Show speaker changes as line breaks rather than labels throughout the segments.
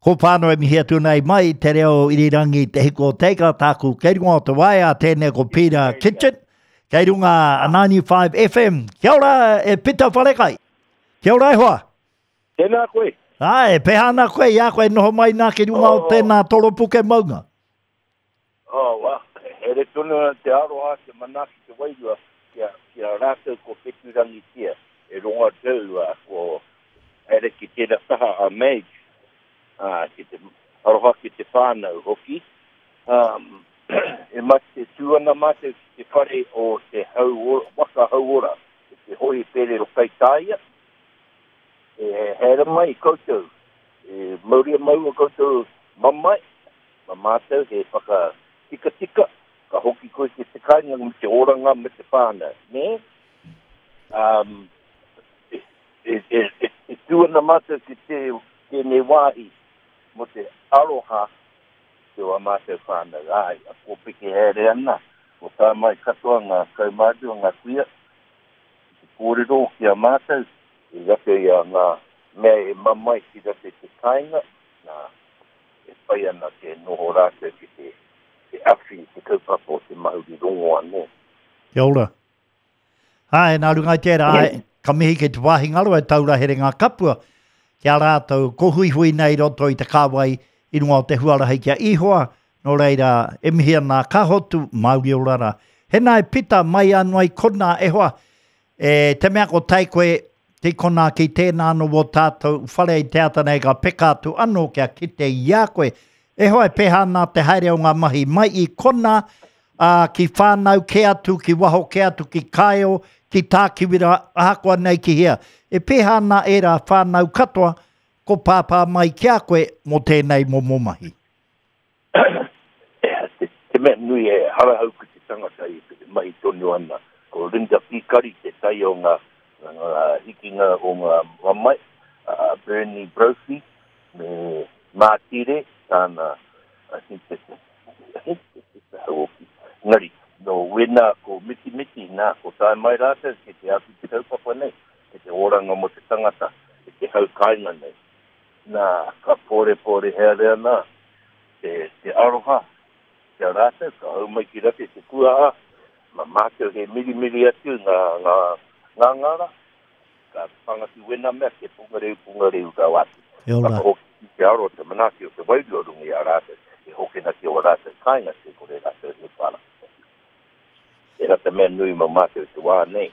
Ko whānau e mihi atu nei mai te reo irirangi Te Hiku o Te Ika tāku kei runga o te waea tēnei ko Peter Kitchen kei runga 95 FM. Kia ora e Peter Wharekai. Kia ora e hoa.
Tēnā koe.
Āe, peha ana koe i a koe noho mai nā ki runga o tēnā toropuke maunga.
Oh, well, here tonu ana te aroha, te manaaki, te wairua ki a, ki a rātou ko whetūrangitia e rongo atu uh, ko haere ki tērā taha a Madge, uh, ki te aroha ki te whānau hoki. Um, e mate tū ana mātou ki te whare o te hau, waka hauora, te hōhipere o Kaitāia, E haere mai koutou, e mauria maua koutou mamae, ma mātou he whakatikatika, ka hoki koe ki te kāinga me te oranga me te whānau, nē? Um, e, e, e, e, e tū ana mātou ki te, tēnei wāhi mō te aroha ki wā mātou whānau. Āe, a kōpeke haere ana, ko tā mai katoa ngā kaumātua, ngā kuia, ki te kōrero ki a mātou, I roto i a ngā mea e mamae ki roto i te kāinga, nā, e pai ana te noho rātou ki te, te awhi i te kaupapa o te mahuri rongo anō.
Kia ora. Āe, nā runga i tērā, āe, ka mihi ki te wāhi ngaro e taura here ngā kapua ki a rātou ko huihui nei i roto i te kāwai i runga o te huarahi ki a Ihoa, nō reira, e mihi ana ka hotu, Māori ora rā. Hena e Pita, mai anō ai konā, e hoa, E te mea ko tae koe ki konā ki tēnā anō wō tātou whare i te ata nei ka peka atu anō kia kite i a koe. E hoa e pēhā ana te haere o ngā mahi mai i konā, ā, ki whānau kē atu, ki waho kē atu, ki Kāeo, ki Tākiwira, ahakoa nei ki hea. E pēhā ana ērā whānau katoa ko pāpā mai ki a koe mō tēnei momo mahi?
Te mea nui e harahau ki te tangata i te mahi tonu ana. Ko Linda Pīkari te tai o ngā hikinga o ngā mamae, a Bernie Brophy me Mātire, tāna, I think that's it, I think that's the hoki. Engari, nō wēnā ko Mitimiti, nā, ko tae mai rātou ki te awhi te kaupapa nei, ki te oranga mō te tangata, i te hau kāinga nei. Nā, ka pōrepōre haere ana te, te aroha ki a rātou, ka hau mai ki rate te kuaha, ma mātou he mirimiri atu ngā, ngā ngāngara, ka panga ki wena mea, ke pungareu, pungareu rau atu.
Kia ora.
Whakahoki ki te aro, te manaaki o te wairua runga i a rātou, e hokena ki ō rātou kāinga, te kore rātou he whara. Tērā te mea nui mō mātou i te wā nei.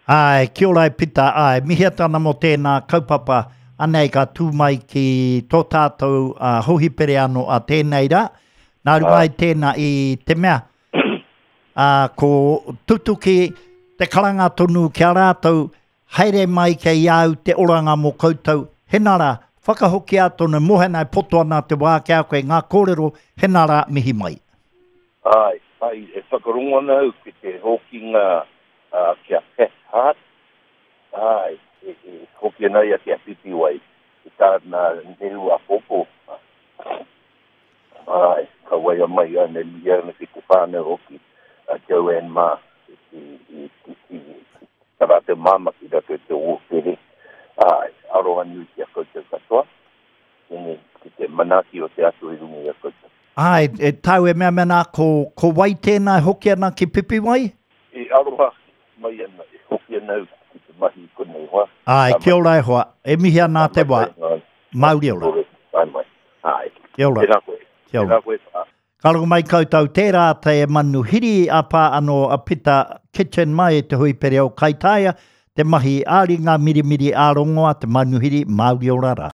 Āe, kia ora e Pita, āe, mihi atu ana mō tēnā kaupapa, anei ka tū mai ki tō tātou hōhipere anō a tēnei rā. Nā runga i tēnā i te mea, ā, ko tutuki te karanga tonu ki a rātou, haere mai kei a au te oranga mō koutou, hena rā, whakahokia tonu, mōhena e poto ana te wā ki a koe ngā kōrero, hena rā, mihi mai.
Āe, āe, e whakarongo ana au ki te hokinga ki a Pat Hart, āe, e hoki ana ia ki a Pipiwai, ki tāna nehu āpōpō. Āe, ka waia mai ana e mihi ana ki te whānau hoki, a Joanne mā, i tā rātou māmā ki roto i te ōpere. Āe, aroha nui ki a koutou katoa. Tēnei, ki te manaaki o te Atua i runga i a koutou.
Āe, e tāu e mea mea nā, ko, ko wai tēnā e hoki ana ki Pipiwai?
E aroha mai ana, e hoki ana au ki te mahi i konei hoa.
Āe, kia ora e hoa, e mihi ana te wā. Mauri ora.
Tae mai. Āe.
Kia ora.
Tēnā koe.
Kia ora.
Tēnā koe, wha.
Ka rongo mai koutou, tērā te manuhiri a pā anō a Pita Kitchen mai i te hui pere o Kaitaia, te mahi ā-ringa mirimiri ā-rongoa, te manuhiri Māori ora rā.